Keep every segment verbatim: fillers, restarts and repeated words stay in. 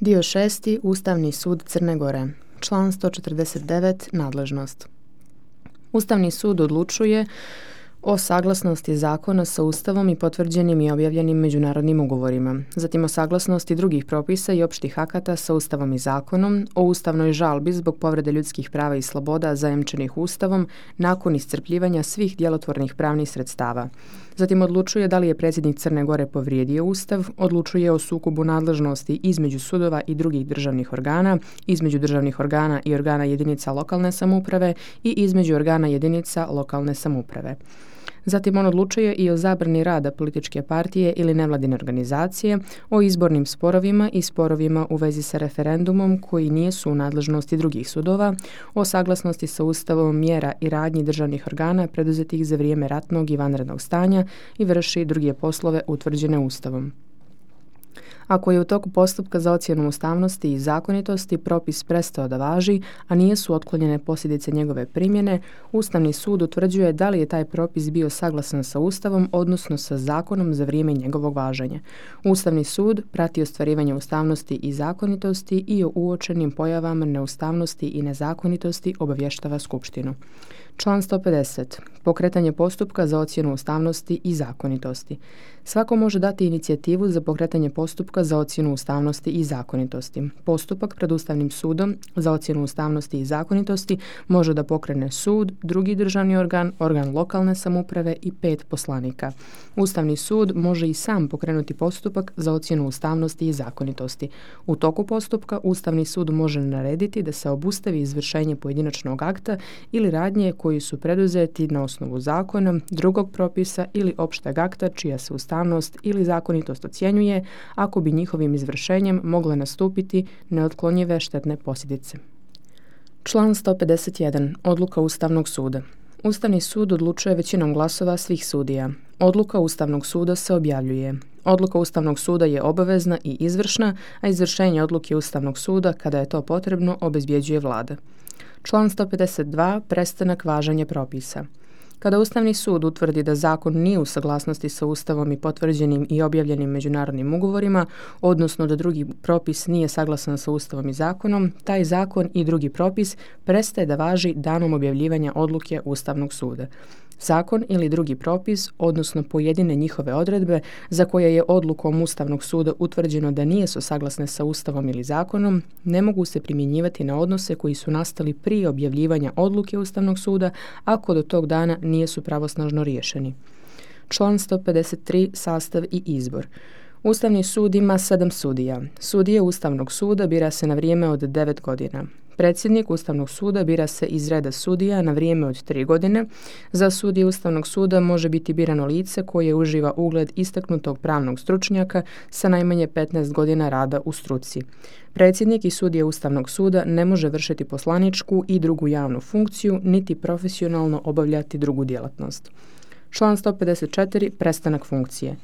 Dio šesti. Ustavni sud Crne Gore. Član sto četrdeset devet. Nadležnost. Ustavni sud odlučuje o saglasnosti zakona sa Ustavom i potvrđenim i objavljenim međunarodnim ugovorima, zatim o saglasnosti drugih propisa i opštih akata sa Ustavom i zakonom, o ustavnoj žalbi zbog povrede ljudskih prava i sloboda zajamčenih Ustavom nakon iscrpljivanja svih djelotvornih pravnih sredstava. Zatim odlučuje da li je predsjednik Crne Gore povrijedio Ustav, odlučuje o sukobu nadležnosti između sudova i drugih državnih organa, između državnih organa i organa jedinica lokalne samouprave i između organa jedinica lokalne samouprave. Zatim on odlučuje i o zabrani rada političke partije ili nevladine organizacije, o izbornim sporovima i sporovima u vezi sa referendumom koji nisu u nadležnosti drugih sudova, o saglasnosti sa Ustavom mjera i radnji državnih organa preduzetih za vrijeme ratnog i vanrednog stanja i vrši druge poslove utvrđene Ustavom. Ako je u toku postupka za ocjenu ustavnosti i zakonitosti propis prestao da važi, a nisu otklonjene posljedice njegove primjene, Ustavni sud utvrđuje da li je taj propis bio saglasan sa Ustavom, odnosno sa zakonom za vrijeme njegovog važenja. Ustavni sud prati ostvarivanje ustavnosti i zakonitosti i o uočenim pojavama neustavnosti i nezakonitosti obavještava Skupštinu. Član sto pedeset. Pokretanje postupka za ocjenu ustavnosti i zakonitosti. Svako može dati inicijativu za pokretanje postupka za ocjenu ustavnosti i zakonitosti. Postupak pred Ustavnim sudom za ocjenu ustavnosti i zakonitosti može da pokrene sud, drugi državni organ, organ lokalne samouprave i pet poslanika. Ustavni sud može i sam pokrenuti postupak za ocjenu ustavnosti i zakonitosti. U toku postupka Ustavni sud može narediti da se obustavi izvršenje pojedinačnog akta ili radnje koji su preduzeti na osnovu zakona, drugog propisa ili opšteg akta čija se ustavnost ili zakonitost ocjenjuje ako bi njihovim izvršenjem mogle nastupiti neotklonjive štetne posljedice. Član sto pedeset jedan. Odluka Ustavnog suda. Ustavni sud odlučuje većinom glasova svih sudija. Odluka Ustavnog suda se objavljuje. Odluka Ustavnog suda je obavezna i izvršna, a izvršenje odluke Ustavnog suda, kada je to potrebno, obezbjeđuje vlada. Član sto pedeset dva. Prestanak važenja propisa. Kada Ustavni sud utvrdi da zakon nije u saglasnosti sa Ustavom i potvrđenim i objavljenim međunarodnim ugovorima, odnosno da drugi propis nije saglasan sa Ustavom i zakonom, taj zakon i drugi propis prestaje da važi danom objavljivanja odluke Ustavnog suda. Zakon ili drugi propis, odnosno pojedine njihove odredbe za koje je odlukom Ustavnog suda utvrđeno da nije su saglasne sa Ustavom ili zakonom, ne mogu se primjenjivati na odnose koji su nastali prije objavljivanja odluke Ustavnog suda ako do tog dana nisu pravosnažno riješeni. Član sto pedeset tri. Sastav i izbor. Ustavni sud ima sedam sudija. Sudije Ustavnog suda bira se na vrijeme od devet godina. Predsjednik Ustavnog suda bira se iz reda sudija na vrijeme od tri godine. Za sudije Ustavnog suda može biti birano lice koje uživa ugled istaknutog pravnog stručnjaka sa najmanje petnaest godina rada u struci. Predsjednik i sudije Ustavnog suda ne može vršiti poslaničku i drugu javnu funkciju, niti profesionalno obavljati drugu djelatnost. Član sto pedeset četiri. Prestanak funkcije.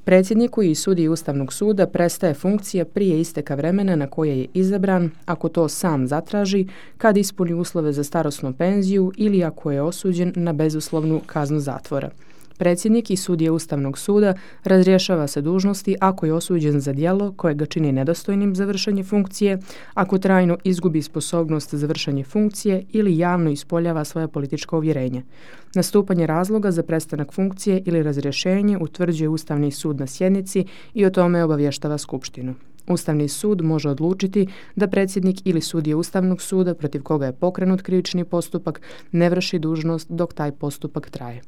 Predsjedniku i sudiji Ustavnog suda prestaje funkcija prije isteka vremena na koje je izabran, ako to sam zatraži, kad ispuni uslove za starosnu penziju ili ako je osuđen na bezuslovnu kaznu zatvora. Predsjednik i sudije Ustavnog suda razrješava se dužnosti ako je osuđen za djelo koje ga čini nedostojnim za vršenje funkcije, ako trajno izgubi sposobnost za vršenje funkcije ili javno ispoljava svoja politička uvjerenja. Nastupanje razloga za prestanak funkcije ili razrješenje utvrđuje Ustavni sud na sjednici i o tome obavještava Skupštinu. Ustavni sud može odlučiti da predsjednik ili sudija Ustavnog suda protiv koga je pokrenut krivični postupak ne vrši dužnost dok taj postupak traje.